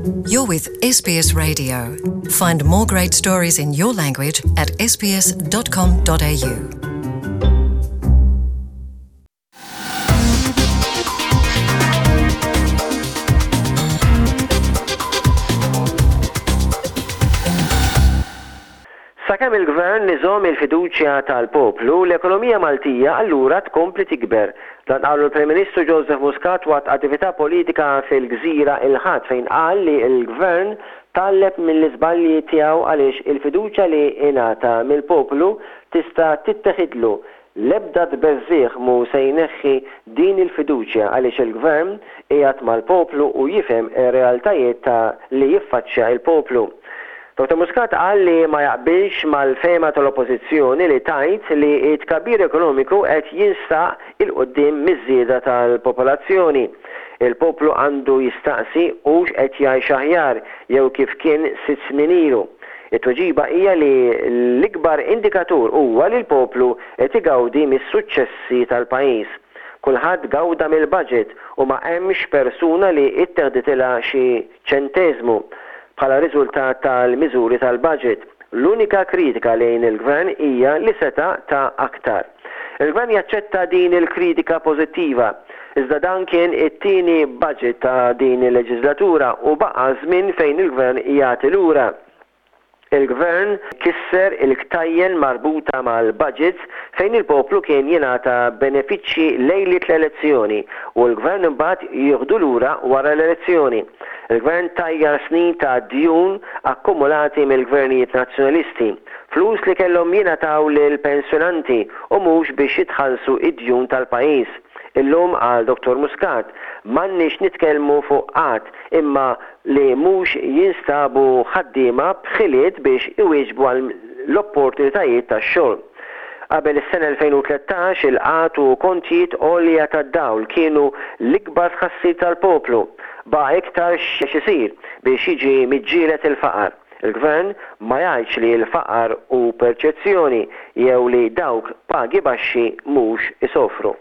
You're with SBS Radio. Find more great stories in your language at sbs.com.au. Sakemm il-Gvern iżomm il-fiduċja tal-poplu, l-ekonomija Maltija allura tkompli tikber. Dan qalu l-Prim Ministru Joseph Muscat waqt attività politika fil-Gżira il-Ħadd fejn qal li l-Gvern tgħallem mill-iżbalji tiegħu għaliex il-fiduċja li ingħata mill-poplu tista' titteħidlu L-ebda tbeżżigħ mhu se jneħħi din il-fiduċja għaliex il-Gvern qiegħed mal-poplu u jifhem ir-realtajiet ta' li jiffaċċja il-poplu. Dottor Muscat qal li ma jaqbilx mal-fehma tal-Oppożizzjoni li tgħid li t-tkabbir ekonomiku qed jinstaq 'il quddiem miż-żieda tal-popolazzjoni. Il-poplu għandu jistaqsi hux qed jgħix aħjar jew kif kien sitt snin ilu. It-tweġiba hija li l-ikbar indikatur huwa li l-poplu qed igawdi mis-suċċessi tal-pajjiż. Kulħadd gawda mill-budget u ma hemmx persuna li tteħditilha xi ċenteżmu bħala riżultat tal-miżuri tal-budget. L-unika kritika lejn il-Gvern hija li seta' ta aktar. Il-Gvern jaċċetta din il-kritika pożittiva, iżda dan kien it-tieni budget ta' din il-leġiżlatura u baqa' żmien fejn il-Gvern jagħti lura. Il-Gvern kisser il-ktajjen marbuta mal-budgets fejn il-poplu kien jingħata benefiċċji lejliet l-elezzjoni u l-Gvern imbagħad jieħdu lura wara l-elezzjoni. Il-Gvern tajjar snin ta' djun akkumulati mill-Gvernijiet Nazzjonalisti. Flus li kellhom jingħataw lill-pensjonanti u mhux biex jitħallsu d-djun tal-pajjiż. Illum, qal Dottor Muscat, m'għandniex nitkellmu fuq qgħad imma li mhux jinstabu ħaddiema b'ħiliet biex iwieġbu għal l-opportunitajiet tax-xogħol. Qabel is-sena 2013 il-qgħad u kontijiet għolja tad-dawl kienu l-ikbar tħassib tal-poplu. Baqa' iktar x'isir biex jiġi miġġieled il-faqar. Il-Gvern ma jgħidx li l-faqar hu perċezzjoni jew li dawk b'pagi baxxi mhux isofru.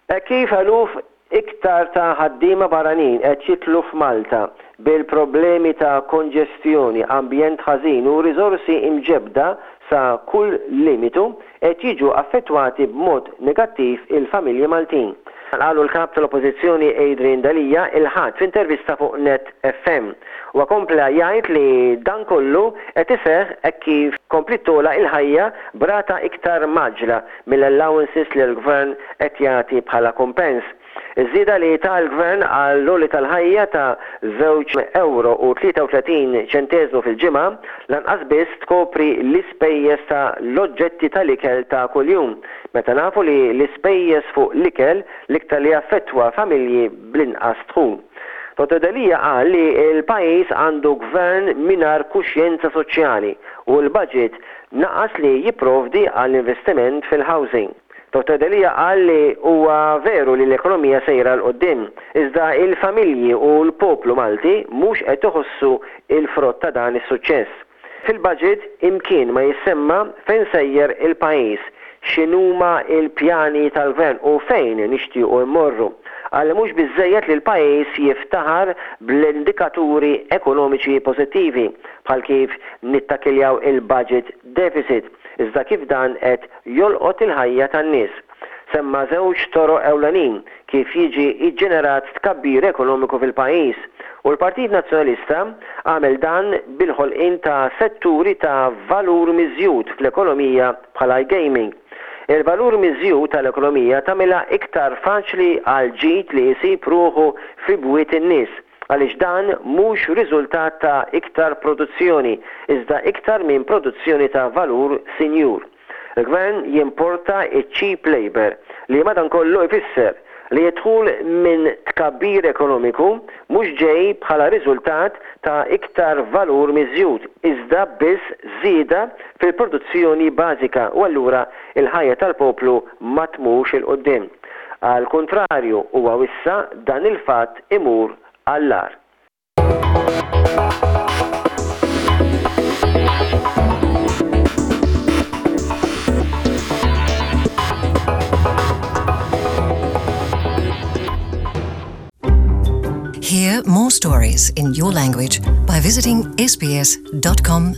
Hekk kif eluf iktar ta' ħaddiema barranin qed jidħlu f'Malta bil-problemi ta' konġestjoni, ambjent ħażin u riżorsi mġebbda sa kull limitu, qed jiġu affettwati b'mod negattiv il-familji Maltin. Dan qalu l-Kap tal-Oppożizzjoni Adrian Delia il-Ħadd f'intervista fuq Net FM. Huwa kompla jgħid li dan kollu qed iseħħ hekk kif kompliet togħla il-ħajja b'rata iktar mgħaġġla mill-allowances li l-Gvern qed jagħti bħala kumpens. Iż-żieda li ta l-Gvern għall-għoli tal-ħajja ta' żewġ ewro u 33 ċenteżmu fil-ġimgħa lanqas biss tkopri l-ispejjeż ta' l-oġġetti tal-ikel ta' kuljum, meta nafu li l-ispejjeż fuq l-ikel l-iktar li jaffettwa familji bl-inqas dħul. Dottor Delia qal li l-pajjiż għandu Gvern mingħajr kuxjenza soċjali u l-budget naqas li jipprovdi għall-investiment fil-housing. Dottor Delia qal li huwa veru li l-ekonomija sejra 'l quddiem, iżda il-familji u l-poplu Malti mhux qed iħossu l-frott ta' dan is-suċċess. Fil-budget imkien ma jissemma fejn sejjer il-pajjiż, x'inhuma l-pjani tal-Gvern u fejn nixtiequ mmorru. Qal li mhux biżżejjed li l-pajjiż jiftaħar bl-indikaturi ekonomiċi pożittivi, bħal kif nittakiljaw il-budget deficit, iżda kif dan qed jolqot il-ħajja tan-nies. Semma żewġ toroq ewlenin kif jiġi ġġenerat tkabbir ekonomiku fil-pajjiż u l-Partit Nazzjonalista għamel dan bil-ħolqien ta' setturi ta' valur miżjud fl-ekonomija bħal iGaming. Il-valur miżjud tal-ekonomija tagħmilha iktar faċli għall-ġid li jsib ruħu fi bwiet in-nies għaliex dan mhux riżultat ta' iktar produzzjoni iżda iktar minn produzzjoni ta' valur sinjur. Il-Gvern jimporta ċ-cheap labour li madankollu ifisser li d-dħul minn tkabbir ekonomiku mhux ġej bħala riżultat ta' iktar valur miżjud iżda biss żieda fil-produzzjoni bażika u allura l-ħajja tal-poplu ma tmurx 'il quddiem. Għall-kuntrarju, huwa wissa dan il-fatt imur għall-agħar. Hear more stories in your language by visiting sbs.com.au.